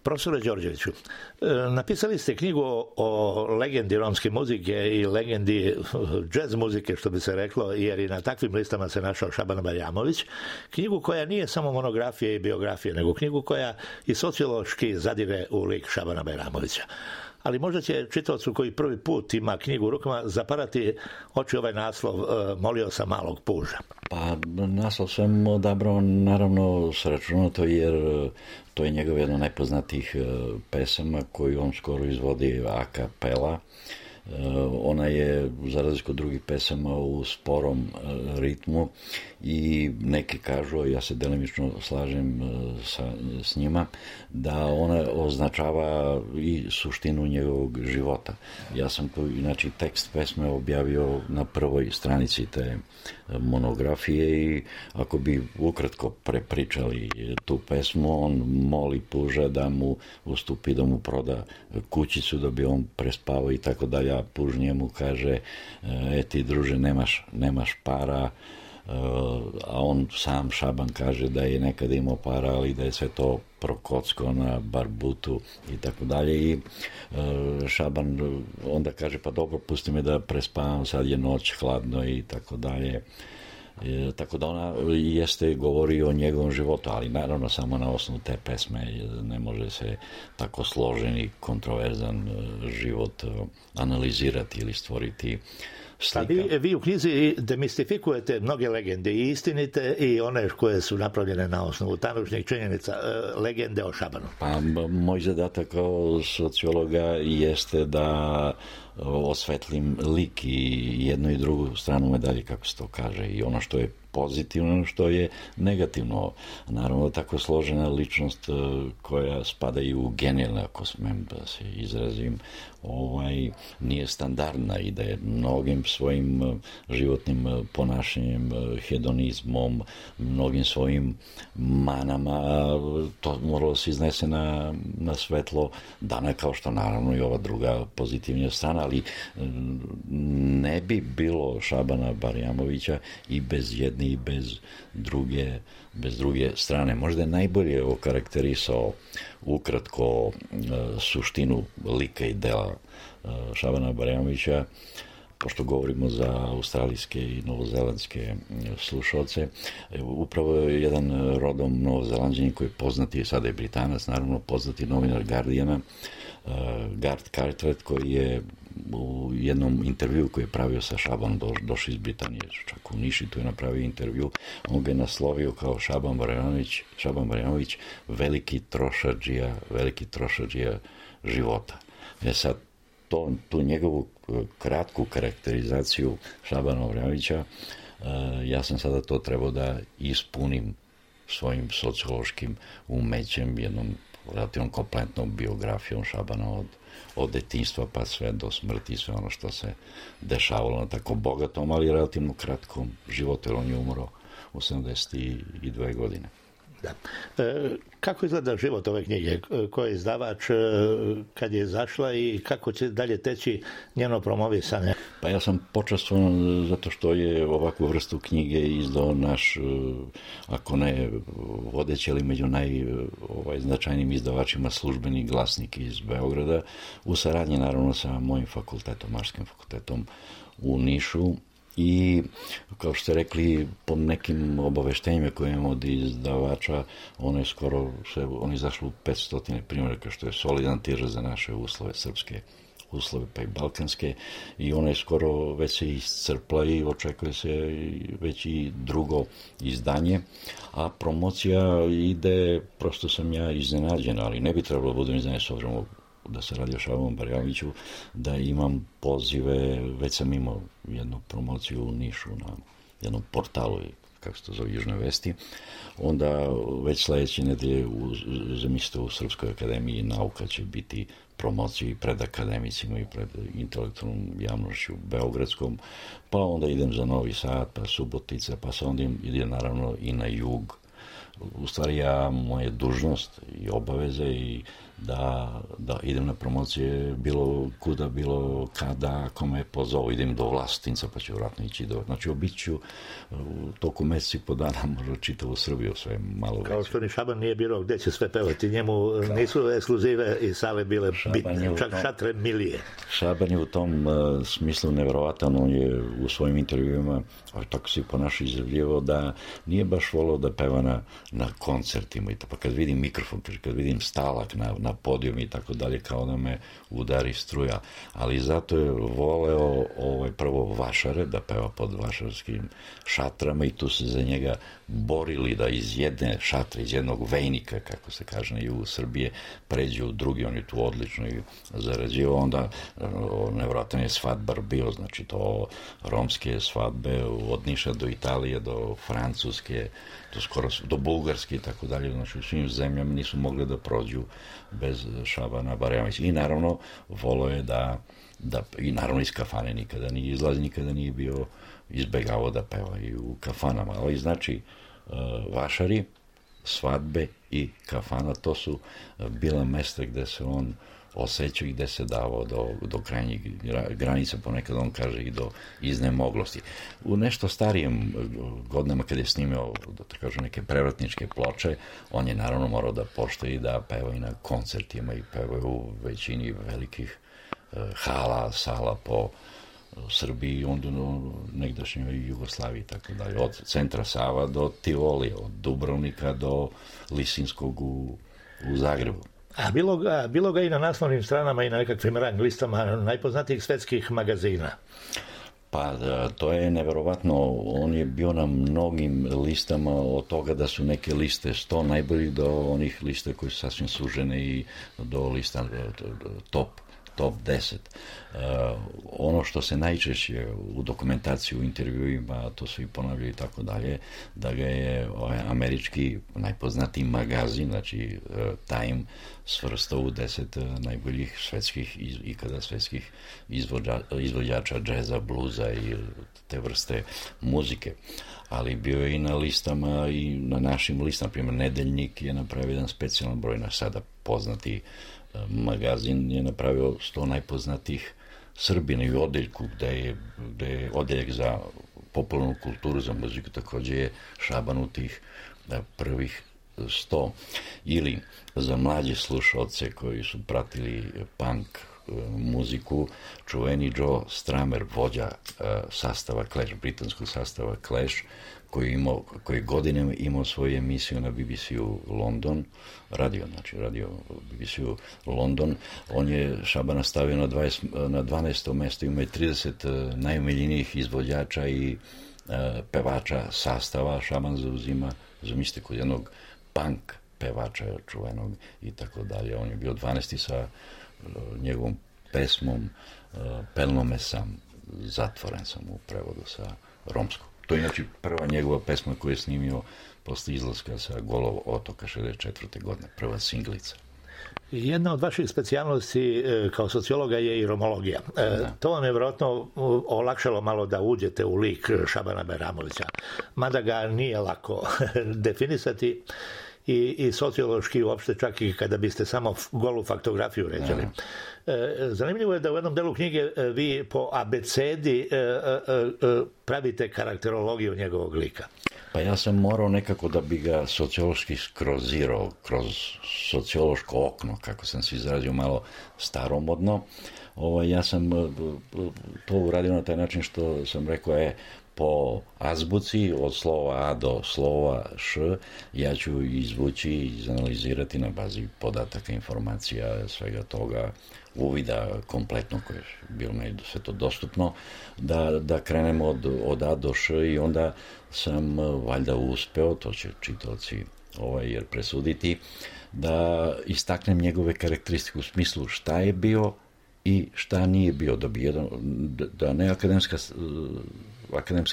Profesore Đorđeviću, napisali ste knjigu o legendi romske muzike i legendi džez muzike, što bi se reklo, jer i na takvim listama se našao Šaban Barjamović. Knjigu koja nije samo monografija i biografija, nego knjigu koja i sociološki zadire u lik Šabana Barjamovića. Ali možda će čitaocu koji prvi put ima knjigu u rukama zaparati oči ovaj naslov Molio sam malog puža. Pa naslov sam odabrao naravno s računato jer to je njegov jedno najpoznatijih pesama koju on skoro izvodi a cappella. Ona je, za razliku od drugih pesama, u sporom ritmu i neki kažu, ja se delimično slažem s njima, da ona označava i suštinu njegovog života. Ja sam tu, inače, tekst pesme objavio na prvoj stranici te monografije i ako bi ukratko prepričali tu pesmu, on moli puža da mu ustupi, da mu proda kućicu da bi on prespavao i tako dalje, a puž njemu kaže ti druže nemaš para, a on sam Šaban kaže da je nekada imao para, ali da je sve to prokocko na barbutu i tako dalje i Šaban onda kaže pa dobro, pusti me da prespavam, sad je noć, hladno i tako dalje. Tako da ona govori o njegovom životu, ali naravno samo na osnovu te pesme ne može se tako složen i kontroverzan život analizirati ili stvoriti slika. Vi u knjizi demistifikujete mnoge legende i istinite i one koje su napravljene na osnovu tanućnih činjenica, legende o Šabanu. Pa moj zadatak kao sociologa jeste da osvetlim lik i jednu i drugu stranu medalje, kako se to kaže, i ono što je pozitivno, ono što je negativno. Naravno, tako složena ličnost koja spada i u genijalne, ako smem da se izrazim, nije standardna i da je mnogim svojim životnim ponašanjem, hedonizmom, mnogim svojim manama, to moralo se iznese na svetlo dana, kao što naravno i ova druga pozitivnija strana, ali ne bi bilo Šabana Barjamovića i bez jedne i bez druge strane. Možda je najbolje okarakterisao ukratko suštinu lika i dela Šabana Barjamovića, pošto govorimo za australijske i novozelandske slušalce. Upravo je jedan rodom Novozelanđanin koji je poznati, sada je Britanac, naravno poznati novinar Guardiana, Gard Cartwright, koji je u jednom intervju koji je pravio sa Šabanom, došao iz Britanije, čak u Niši, tu je napravio intervju, on ga je naslovio kao Šaban Barjamović, veliki trošadžija života. Sad, tu njegovu kratku karakterizaciju Šabana Barjamovića, ja sam sada to trebao da ispunim svojim sociološkim umećem, jednom relativno kompletnom biografijom Šabana od detinjstva pa sve do smrti, sve ono što se dešavalo na tako bogatom, ali relativno kratkom životu, jer on je umro u 72 godine. Da. Kako izgleda život ove knjige? Ko je izdavač, kad je izašla i kako će dalje teći njeno promovisanje? Pa ja sam počastvovan zato što je ovakvu vrstu knjige izdao naš, ako ne vodeći, ali među najznačajnijim izdavačima, Službeni glasnik iz Beograda, u saradnji naravno sa mojim fakultetom, Maškim fakultetom u Nišu. I, kao što ste rekli, po nekim obaveštenjima koje imamo od izdavača, ono je izašlo u 500 primjeraka, što je solidan tiraž za naše uslove, srpske uslove, pa i balkanske, i ona je skoro već se iscrpla i očekuje se već i drugo izdanje, a promocija ide, prosto sam ja iznenađen, ali ne bi trebalo da budem iznenađen s obzirom da se radi o Šabanu Barjamoviću, da imam pozive, već sam imao jednu promociju u Nišu na jednom portalu, kako se to zove, Južne vesti, onda već sledeće nedelje zamislite u Srpskoj akademiji nauka će biti promocija i pred akademicima i pred intelektualnom javnošću beogradskom, pa onda idem za Novi Sad, pa Subotica, pa se onda idem naravno i na jug u stvari moja dužnost i obaveze i da idem na promocije bilo kuda, bilo kada, ako me pozovu, idem do Vlasotinca, pa ću vratno ići znači obiću u toku meseci i po dana možda čitavu Srbiju, sve malo veće. Kao što ni Šaban nije birao gde će sve pevati, njemu nisu ekskluzive i sale bile bitne, čak šatre milije. Šaban je u tom smislu neverovatan, on je u svojim intervjuima, tako se ponaša izjavljivao da nije baš volao da peva na koncertima, pa kad vidim mikrofon, kad vidim stalak na podijum i tako dalje, kao da me udari struja, ali zato je voleo prvo vašare, da peva pod vašarskim šatrama i tu se za njega borili da iz jedne šatre, iz jednog vejnika, kako se kaže na jugu Srbije, pređe u drugi, on je tu odlično i zarađivao, onda nevjerojatan je svadbar bio, znači to romske svadbe od Niša do Italije, do Francuske, do Bugarske i tako dalje, znači u svim zemljama nisu mogli da prođu bez Šabana Barajamovića. I naravno voleo je da i naravno iz kafane nikada nije izlazi, nikada nije bio izbegavao da peva i u kafanama, ali znači vašari, svadbe i kafana, to su bila mesta gde se on osjećao i gde se davao do krajnjih granica, ponekad on kaže i do iznemoglosti. U nešto starijem godinama kad je snimao, da te kažem, neke prevratničke ploče, on je naravno morao da poštuje i da peva i na koncertima i peva u većini velikih hala, sala po Srbiji, onda negdašnjoj Jugoslaviji i tako dalje. Od centra Sava do Tivoli, od Dubrovnika do Lisinskog u Zagrebu. A bilo ga i na naslovnim stranama i na nekakvim rang listama najpoznatijih svetskih magazina. Pa to je neverovatno, on je bio na mnogim listama, od toga da su neke liste 100 najboljih do onih lista koji su sasvim sužene i do lista top 10. Ono što se najčešće u dokumentaciji, u intervjuima, to su i ponavljaju i tako dalje, da ga je američki najpoznatiji magazin, znači Time, svrstao u 10 najboljih ikada svetskih izvođača džeza, bluza i te vrste muzike. Ali bio je i na listama i na našim listama, primjer Nedeljnik je napravio jedan specijalan broj, naš sada poznati magazin je napravio 100 najpoznatijih Srbina i u odeljku gde je odeljak za popularnu kulturu, za muziku, također je Šaban u tih prvih 100. Ili za mlađe slušalce koji su pratili punk muziku, čuveni Joe Strummer, vođa sastava Clash, britanskog sastava Clash, koji godinama imao svoju emisiju na BBC-u London, radio BBC-u London. On je Šabana stavio na 12. mesto, ima je 30 najomiljenijih izvođača i pevača sastava. Šaban zauzima, zamislite, kod jednog punk pevača čuvenog i tako dalje. On je bio 12. sa njegovom pesmom Pelnome sam, zatvoren sam, u prevodu sa romskog. To je inače prva njegova pesma koju je snimio posle izlaska sa Golog otoka 64. godine, prva singlica. Jedna od vaših specijalnosti kao sociologa je i romologija. To vam je vjerojatno olakšalo malo da uđete u lik Šabana Bajramovića, mada ga nije lako definisati i sociološki uopšte, čak i kada biste samo golu faktografiju ređali. Zanimljivo je da u jednom delu knjige vi po abecedi pravite karakterologiju njegovog lika. Pa ja sam morao nekako da bi ga sociološki skrozirao kroz sociološko okno, kako sam se izrazio malo staromodno. Ja sam to uradio na taj način što sam rekao po azbuci od slova A do slova Š, ja ću izvući i izanalizirati na bazi podataka, informacija, svega toga, uvida kompletno koje je bilo meni sve to dostupno, da krenemo od A do Š i onda sam valjda uspeo, to će čitaoci jer presuditi, da istaknem njegove karakteristike u smislu šta je bio i šta nije bio, da ne akademska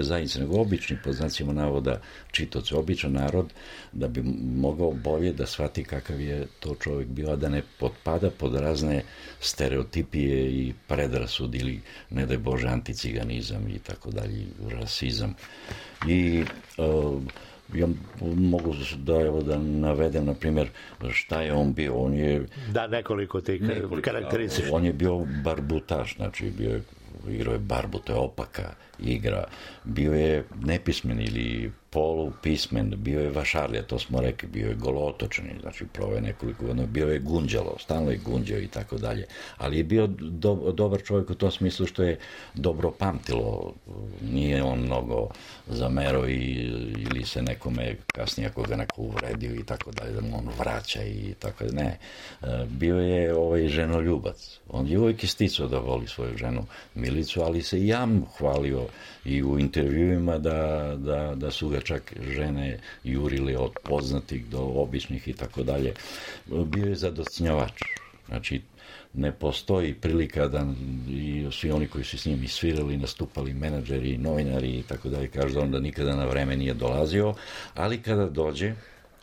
zajednica, nego obični, po znacima navoda, čitaoci, običan narod, da bi mogao bolje da shvati kakav je to čovjek bio, a da ne potpada pod razne stereotipije i predrasud ili, ne daj Bože, anticiganizam i tako dalje, rasizam. I Ja mogu da navedem, na primjer, šta je on bio. On je... Da, nekoliko tih karakteristika. On je bio barbutaš, znači igrao je barbu, to je opaka igra. Bio je nepismen ili polupismen, bio je vašarlija, to smo rekli, bio je golotočan, znači proveo nekoliko godina, bio je gunđalo, stalno je gunđao i tako dalje. Ali je bio dobar čovjek u tom smislu što je dobro pamtilo, nije on mnogo zamerao ili se nekome kasnije ako ga neko uvredio i tako dalje, da mu on vraća i tako dalje. Ne, bio je ženoljubac. On je uvijek isticao da voli svoju ženu Milicu, ali se i jam hvalio i u intervjuima da su ga čak žene jurile od poznatih do običnih i tako dalje. Bio je zadostinjavač. Znači, ne postoji prilika da i svi oni koji su s njim svirali, nastupali, menadžeri, novinari i tako dalje, kažu da onda nikada na vreme nije dolazio, ali kada dođe,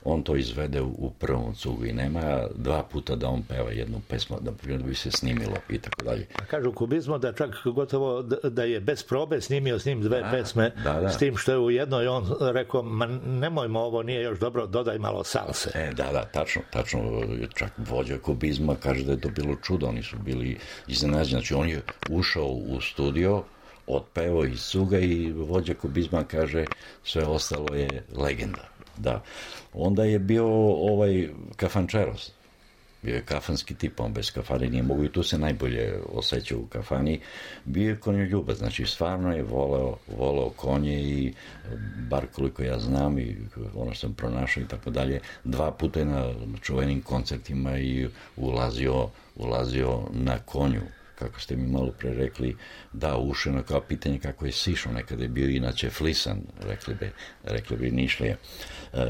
on to izvede u prvom cugu i nema dva puta da on peva jednu pesmu, da bi se snimilo i tako dalje. Kažu kubizmo da čak gotovo da je bez probe snimio s njim dve pesme, s tim što je u jednoj on rekao, ma nemojmo, ovo nije još dobro, dodaj malo salse. Tačno, čak vođa kubizma kaže da je to bilo čudo, oni su bili iznenađeni, znači on je ušao u studio, otpevao iz cuga i vođa kubizma kaže sve ostalo je legenda. Da. Onda je bio kafančeros. Bio je kafanski tip, on bez kafane nije mogu i tu se najbolje osjećao u kafani. Bio je konjoljubac, znači stvarno je voleo konje i bar koliko ja znam i ono sam pronašao i tako dalje, dva puta je na čuvenim koncertima i ulazio na konju. Kako ste mi malo pre rekli, da, ušeno kao pitanje kako je sišao, nekada je bio inače flisan, rekli bi Nišlije.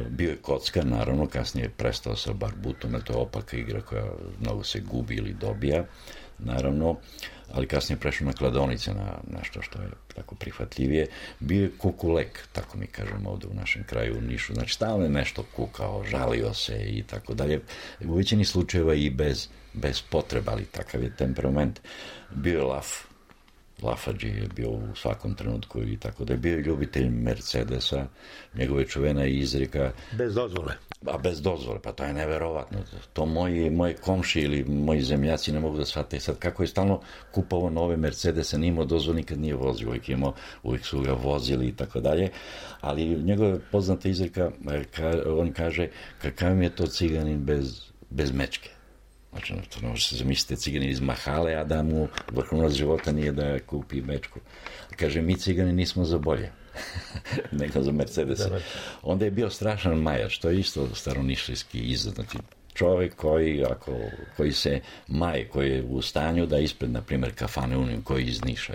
Bio je kocka, naravno, kasnije je prestao sa barbutom, jer to je opaka igra koja mnogo se gubi ili dobija, naravno, ali kasnije je prešao na kladionice, na nešto što je tako prihvatljivije. Bio je kukulek, tako mi kažemo ovdje u našem kraju u Nišu, znači stalno je nešto kukao, žalio se i tako dalje. U većini slučajeva i bez potreba, ali takav je temperament. Bio je lafađi je bio u svakom trenutku i tako da je bio ljubitelj Mercedesa, njegove čuvena izreka. Bez dozvole. Bez dozvole, pa to je neverovatno. To moji komši ili moji zemljaci ne mogu da shvate. Sad kako je stalno kupovao nove Mercedese, nije imao dozvole, nikad nije vozio, uvijek su ga vozili i tako dalje, ali njegova poznata izreka, on kaže, kakav mi je to ciganin bez mečke. Znači, to može se zamisliti ciganin iz Mahale, a da mu vrhunac života nije da kupi mečku. Kaže, mi cigani nismo za bolje, nego za Mercedesa. Onda je bio strašan majač, to je isto staronišlijski izraz. Znači, čovjek koji se maje, koji je u stanju da ispred, na primjer, kafane Union, koji iz Niša,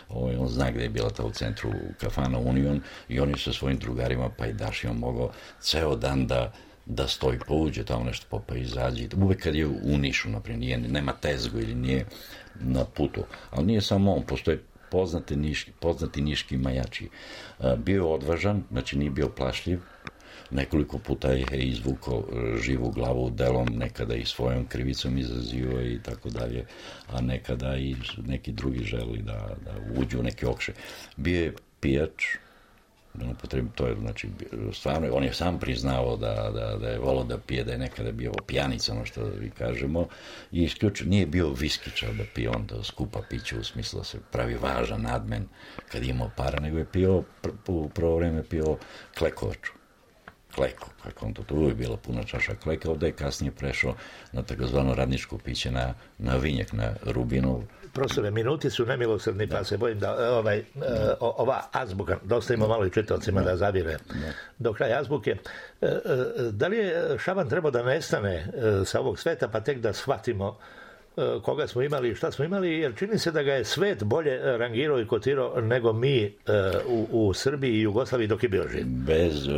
on zna gde je bila ta u centru kafana Union i on je sa svojim drugarima pa i Dašijom mogao ceo dan da stoji, pouđe tamo nešto popa izađe. Uvek kad je u Nišu, naprimjer, nema tezgu ili nije na putu. Ali nije samo on, postoje poznati niški majači. Bio je odvažan, znači nije bio plašljiv, nekoliko puta je izvukao živu glavu delom, nekada i svojom krivicom izazivao i tako dalje, a nekada i neki drugi želi da uđu u neke okše. Bio je pijač, to je, znači, stvarno, on je sam priznao da je volao da pije, da je nekada bio pijanica, ono što vi kažemo, i isključivo nije bio viskičar da pije on da skupa piće u smislu da se pravi važan, nadmen kad je imao para, nego je pio, u prvo vreme pio klekovaču. Kleko, kako on to uvijek bila puna čaša kleka, ovdje je kasnije prešao na takozvano radničko piće, na vinjak, na Rubinov. Profesore, minuti su nemilosrdni, pa se bojim da ova azbuka, dosta ima malo i čitavcima da zavire do kraja azbuke. Da li je Šaban trebao da nestane sa ovog sveta, pa tek da shvatimo koga smo imali i šta smo imali, jer čini se da ga je svet bolje rangirao i kotirao nego mi u Srbiji i Jugoslaviji dok je bio živ.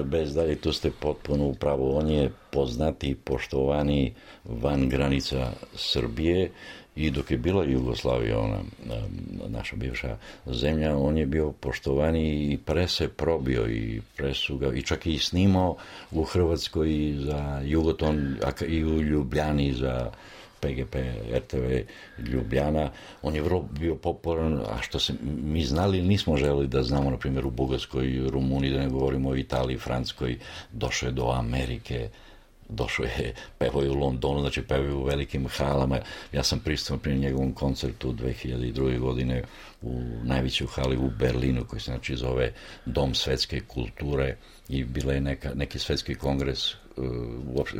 Bez dalje, tu ste potpuno upravo. On je poznati i poštovani van granica Srbije i dok je bila Jugoslavija, ona naša bivša zemlja, on je bio poštovani i pre se probio i pre su ga, i čak i snimao u Hrvatskoj za Jugoton i u Ljubljani za PGP, RTV, Ljubljana. On je vrlo bio popularan, a što se mi znali ili nismo želeli da znamo, na primjer u Bugarskoj, Rumuniji, da ne govorimo o Italiji, Francuskoj, došao je do Amerike, došao je, pevao je u Londonu, znači pevao je u velikim halama. Ja sam prisutan pri njegovom koncertu 2002. godine u najvećoj hali u Berlinu, koji se znači zove Dom svetske kulture, i bila je neki svetski kongres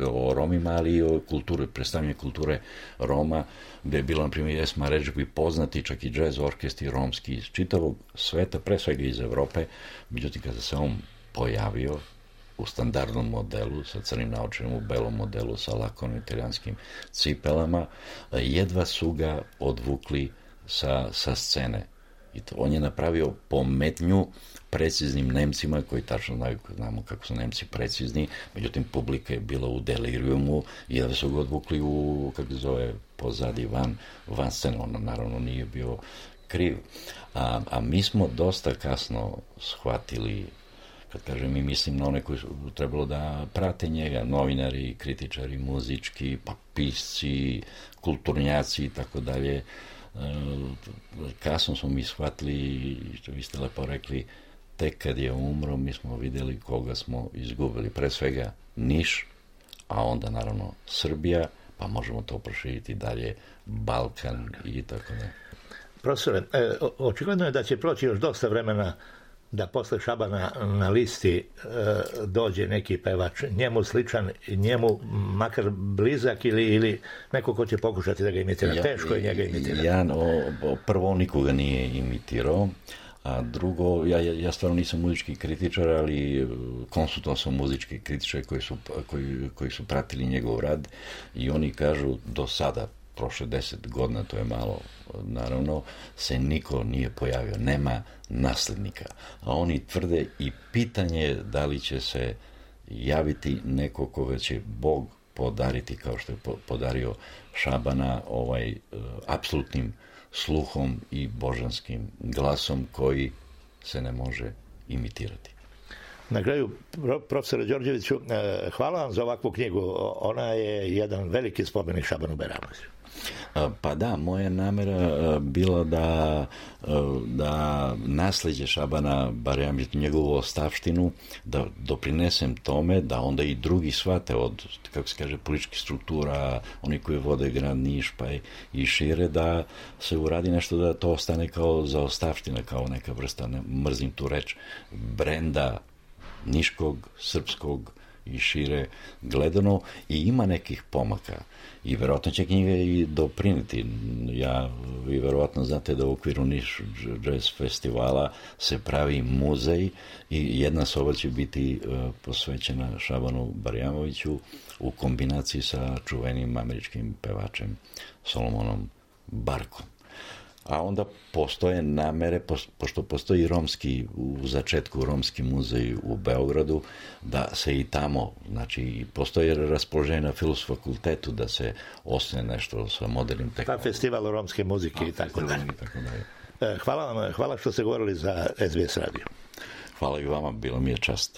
o Romima, ali i o kulturi, predstavljanje kulture Roma, gde je bilo, na primjer, Esma Redžepi, poznati čak i džez orkestri romski iz čitavog sveta, pre svega iz Evrope. Međutim, kada se on pojavio u standardnom modelu, sa crnim naočarima, u belom modelu, sa lakovnim italijanskim cipelama, jedva su ga odvukli sa scene. I to, on je napravio pometnju preciznim Nemcima, koji tačno znamo kako su Nemci precizni, međutim publika je bila u delirijumu i jedva su ga odvukli u, kako se zove, pozadi, van scene. On naravno nije bio kriv. A mi smo dosta kasno shvatili, kad kažem mi, mislim na one koji su trebalo da prate njega, novinari, kritičari, muzički, pa pisci, kulturnjaci i tako dalje. Kasno smo mi shvatili, što vi ste lepo rekli, tek kad je umro, mi smo vidjeli koga smo izgubili. Pre svega Niš, a onda naravno Srbija, pa možemo to proširiti dalje, Balkan i tako dalje. Profesore, očigledno je da će proći još dosta vremena da posle Šabana na listi dođe neki pevač, njemu sličan, njemu makar blizak ili neko ko će pokušati da ga imitira. Teško je njega imitirati. Prvo, nikoga nije imitirao, a drugo, ja stvarno nisam muzički kritičar, ali konsultovao sam muzički kritičare koji su pratili njegov rad i oni kažu do sada, prošle 10 godina, to je malo, naravno, se niko nije pojavio, nema naslednika. A oni tvrde i pitanje je da li će se javiti neko koga će Bog podariti, kao što je podario Šabana, apsolutnim sluhom i božanskim glasom koji se ne može imitirati. Na kraju, profesore Đorđeviću, hvala vam za ovakvu knjigu. Ona je jedan veliki spomenik Šabanu Bajramoviću. Pa da, moja namera bila da nasleđe Šabana Bajramovića, njegovu ostavštinu, da doprinesem tome, da onda i drugi shvate od, kako se kaže, političkih struktura, oni koji vode grad Niš, pa i šire, da se uradi nešto da to ostane kao zaostavština, kao neka vrsta, mrzim tu reč, brenda niškog, srpskog i šire gledano, i ima nekih pomaka. I verovatno će knjiga i dopriniti. Vi verovatno znate da u okviru Niš Jazz festivala se pravi muzej i jedna soba će biti posvećena Šabanu Bajramoviću u kombinaciji sa čuvenim američkim pevačem Solomonom Barkom. A onda postoje namere, pošto postoji u začetku romski muzej u Beogradu, da se i tamo, znači postoje raspoloženje na Filozofskom fakultetu da se osnuje nešto sa modernim tehnologijama. Pa festival romske muzike i tako dalje. Hvala vam, hvala što ste govorili za SBS radio. Hvala i vama, bilo mi je čast.